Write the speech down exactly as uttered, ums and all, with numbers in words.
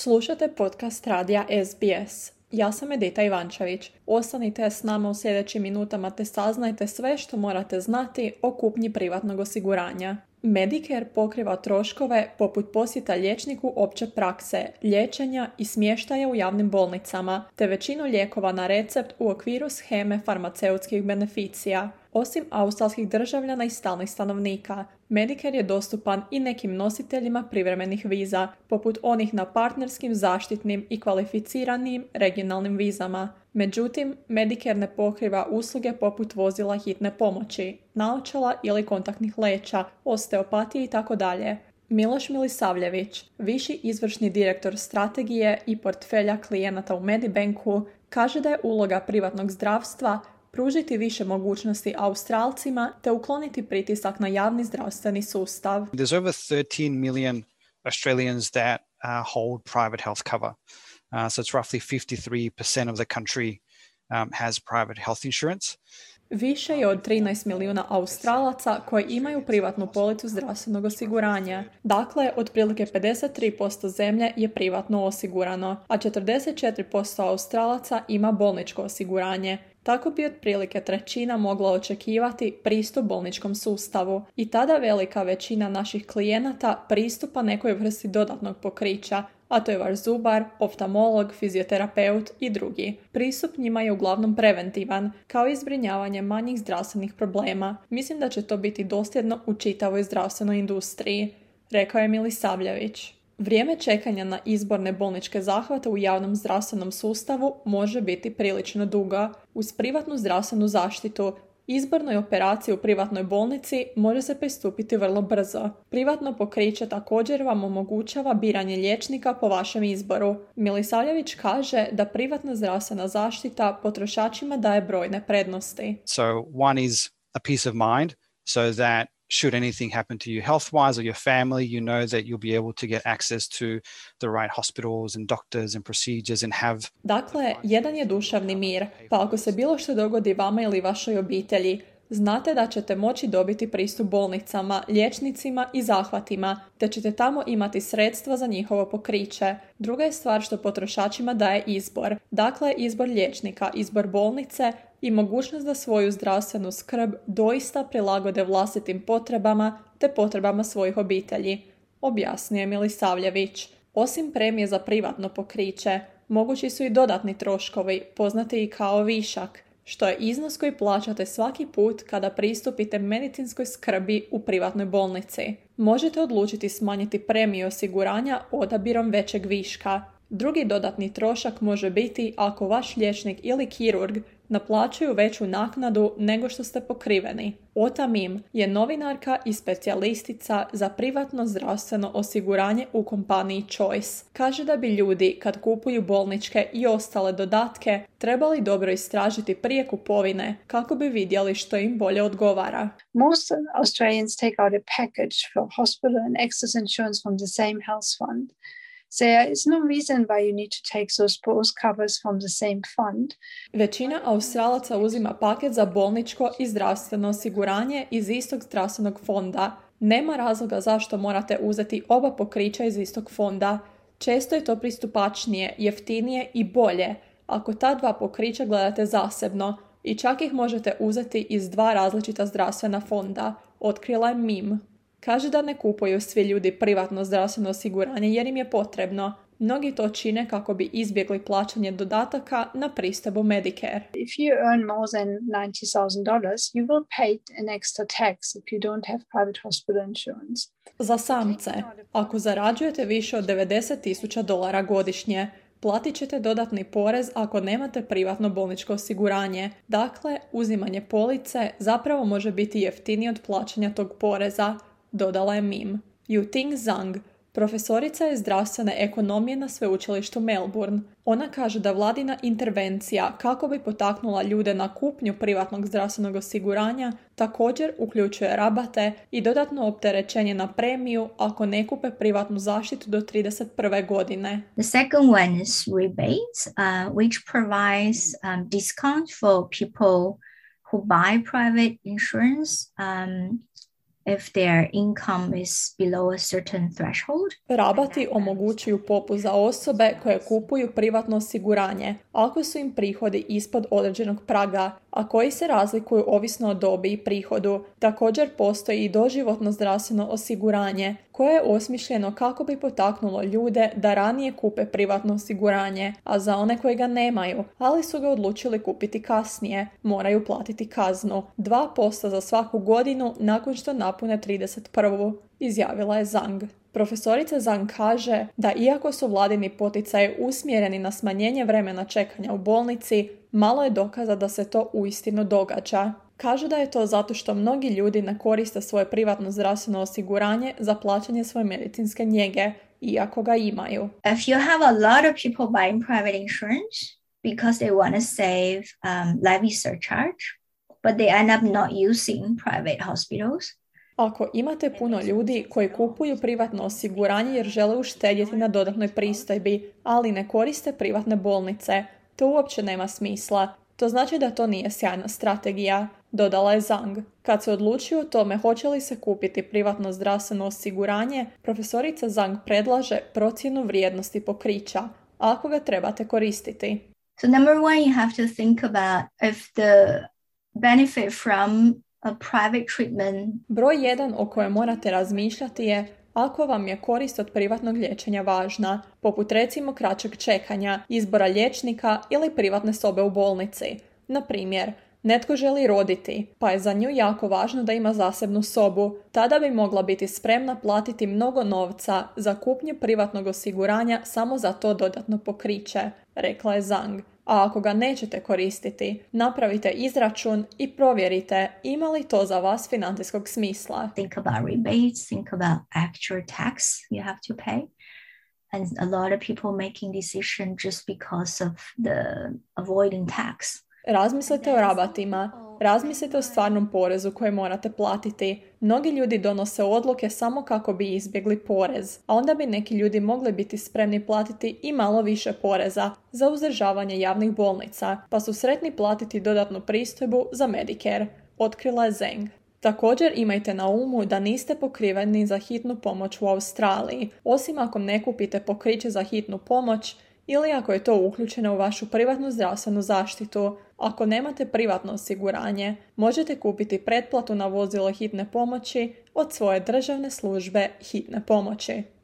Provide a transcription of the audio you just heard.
Slušate podcast radija S B S. Ja sam Edita Ivančević. Ostanite s nama u sljedećim minutama te saznajte sve što morate znati o kupnji privatnog osiguranja. Medicare pokriva troškove poput posjeta liječniku opće prakse, liječenja i smještaja u javnim bolnicama, te većinu lijekova na recept u okviru sheme farmaceutskih beneficija. Osim australskih državljana i stalnih stanovnika, Medicare je dostupan i nekim nositeljima privremenih viza, poput onih na partnerskim, zaštitnim i kvalificiranim regionalnim vizama. Međutim, Medicare ne pokriva usluge poput vozila hitne pomoći, naočala ili kontaktnih leća, osteopatije itd. Miloš Milisavljević, viši izvršni direktor strategije i portfelja klijenata u Medibanku, kaže da je uloga privatnog zdravstva pružiti više mogućnosti Australcima te ukloniti pritisak na javni zdravstveni sustav. There's over thirteen million Australians that uh, hold private health cover. Uh, so it's roughly fifty-three percent of the country um, has private health insurance. Više je od trinaest milijuna Australaca koji imaju privatnu policu zdravstvenog osiguranja. Dakle, otprilike pedeset tri posto zemlje je privatno osigurano, a četrdeset četiri posto Australaca ima bolničko osiguranje. Tako bi otprilike trećina mogla očekivati pristup bolničkom sustavu i tada velika većina naših klijenata pristupa nekoj vrsti dodatnog pokrića, a to je vaš zubar, oftalmolog, fizioterapeut i drugi. Pristup njima je uglavnom preventivan, kao i zbrinjavanje manjih zdravstvenih problema. Mislim da će to biti dosljedno u čitavoj zdravstvenoj industriji, rekao je Milisavljević. Vrijeme čekanja na izborne bolničke zahvate u javnom zdravstvenom sustavu može biti prilično dugo. Uz privatnu zdravstvenu zaštitu, izbornoj operaciji u privatnoj bolnici može se pristupiti vrlo brzo. Privatno pokriće također vam omogućava biranje liječnika po vašem izboru. Milisavljević kaže da privatna zdravstvena zaštita potrošačima daje brojne prednosti. So one is a peace of mind, so that should anything happen to you health-wise or your family, you know that you'll be able to get access to the right hospitals and doctors and procedures and have... Dakle, jedan je duševni mir, pa ako se bilo što dogodi vama ili vašoj obitelji, znate da ćete moći dobiti pristup bolnicama, liječnicima i zahvatima, te ćete tamo imati sredstva za njihovo pokriće. Druga je stvar što potrošačima daje izbor. Dakle, izbor liječnika, izbor bolnice i mogućnost da svoju zdravstvenu skrb doista prilagode vlastitim potrebama te potrebama svojih obitelji, objasnio je Milisavljević. Osim premije za privatno pokriće, mogući su i dodatni troškovi, poznati i kao višak, što je iznos koji plaćate svaki put kada pristupite medicinskoj skrbi u privatnoj bolnici. Možete odlučiti smanjiti premiju osiguranja odabirom većeg viška. Drugi dodatni trošak može biti ako vaš liječnik ili kirurg naplaćuju veću naknadu nego što ste pokriveni. Ota Mim je novinarka i specijalistica za privatno zdravstveno osiguranje u kompaniji Choice. Kaže da bi ljudi kad kupuju bolničke i ostale dodatke trebali dobro istražiti prije kupovine kako bi vidjeli što im bolje odgovara. Most Australians take out a package for hospital and excess insurance from the same health fund. So there is no reason why you need to take those both covers from the same fund. Većina Australaca uzima paket za bolničko i zdravstveno osiguranje iz istog zdravstvenog fonda. Nema razloga zašto morate uzeti oba pokrića iz istog fonda. Često je to pristupačnije, jeftinije i bolje ako ta dva pokrića gledate zasebno i čak ih možete uzeti iz dva različita zdravstvena fonda, otkrila je Mim. Kaže da ne kupuju svi ljudi privatno zdravstveno osiguranje jer im je potrebno. Mnogi to čine kako bi izbjegli plaćanje dodataka na pristupu Medicare. If you earn more than ninety thousand dollars, you will pay an extra tax if you don't have private hospital insurance. Za samce, ako zarađujete više od devedeset tisuća dolara godišnje, platit ćete dodatni porez ako nemate privatno bolničko osiguranje. Dakle, uzimanje police zapravo može biti jeftinije od plaćanja tog poreza, dodala je Mim. Yu Ting Zhang, profesorica je zdravstvene ekonomije na sveučilištu Melbourne. Ona kaže da vladina intervencija kako bi potaknula ljude na kupnju privatnog zdravstvenog osiguranja također uključuje rabate i dodatno opterećenje na premiju ako ne kupe privatnu zaštitu do trideset prve godine. The second one is rebates, uh, which provides um, discount for people who buy private insurance. Um, if their income is below a certain threshold. Rabati omogućuju popust za osobe koje kupuju privatno osiguranje ako su im prihodi ispod određenog praga, a koji se razlikuju ovisno o dobi i prihodu. Također postoji i doživotno zdravstveno osiguranje koje je osmišljeno kako bi potaknulo ljude da ranije kupe privatno osiguranje, a za one koji ga nemaju, ali su ga odlučili kupiti kasnije, moraju platiti kaznu dva posto za svaku godinu nakon što napune trideset prvu, izjavila je Zhang. Profesorica Zhang kaže da iako su vladini poticaji usmjereni na smanjenje vremena čekanja u bolnici, malo je dokaza da se to uistinu događa. Kaže da je to zato što mnogi ljudi ne koriste svoje privatno zdravstveno osiguranje za plaćanje svoje medicinske njege, iako ga imaju. If you have a lot of people buying private insurance because they want to save um, levy surcharge, but they end up not using private hospitals, ako imate puno ljudi koji kupuju privatno osiguranje jer žele uštedjeti na dodatnoj pristojbi, ali ne koriste privatne bolnice, to uopće nema smisla. To znači da to nije sjajna strategija, dodala je Zhang. Kad se odlučio o tome hoće li se kupiti privatno zdravstveno osiguranje, profesorica Zhang predlaže procjenu vrijednosti pokrića, ako ga trebate koristiti. So number one, you have to think about if the benefit from a private treatment. Broj jedan o kojem morate razmišljati je ako vam je korist od privatnog liječenja važna, poput recimo kraćeg čekanja, izbora liječnika ili privatne sobe u bolnici. Na primjer, netko želi roditi, pa je za nju jako važno da ima zasebnu sobu. Tada bi mogla biti spremna platiti mnogo novca za kupnju privatnog osiguranja samo za to dodatno pokriće, rekla je Zhang. A ako ga nećete koristiti, napravite izračun i provjerite ima li to za vas financijskog smisla. Think about rebates, think about actual tax you have to pay. And a lot of people making decision just because of the avoiding tax. Razmislite o rabatima, razmislite o stvarnom porezu koji morate platiti. Mnogi ljudi donose odluke samo kako bi izbjegli porez, a onda bi neki ljudi mogli biti spremni platiti i malo više poreza za uzdržavanje javnih bolnica, pa su sretni platiti dodatnu pristojbu za Medicare, otkrila je Zhang. Također imajte na umu da niste pokriveni za hitnu pomoć u Australiji, osim ako ne kupite pokriće za hitnu pomoć ili ako je to uključeno u vašu privatnu zdravstvenu zaštitu. Ako nemate privatno osiguranje, možete kupiti pretplatu na vozilo hitne pomoći od svoje državne službe hitne pomoći.